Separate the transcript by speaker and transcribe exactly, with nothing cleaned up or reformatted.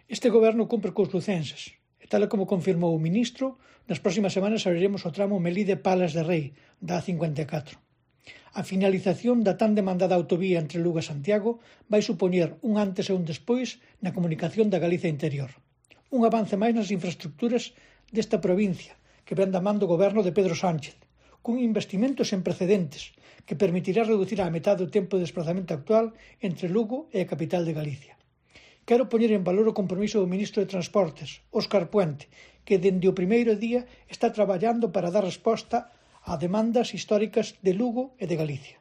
Speaker 1: Este goberno cumpre cos lucenses e, tal como confirmou o ministro, nas próximas semanas abriremos o tramo Melide-Palas de Rei, da A cincuenta e catro. A finalización da tan demandada autovía entre Lugo e Santiago vai supoñer un antes e un despois na comunicación da Galicia interior. Un avance máis nas infraestructuras desta provincia, que ven da man do goberno de Pedro Sánchez, cun investimento sen precedentes que permitirá reducir á metade o tempo de desplazamento actual entre Lugo e a capital de Galicia. Quero poñer en valor o compromiso do ministro de Transportes, Óscar Puente, que dende o primeiro día está traballando para dar resposta a demandas históricas de Lugo e de Galicia.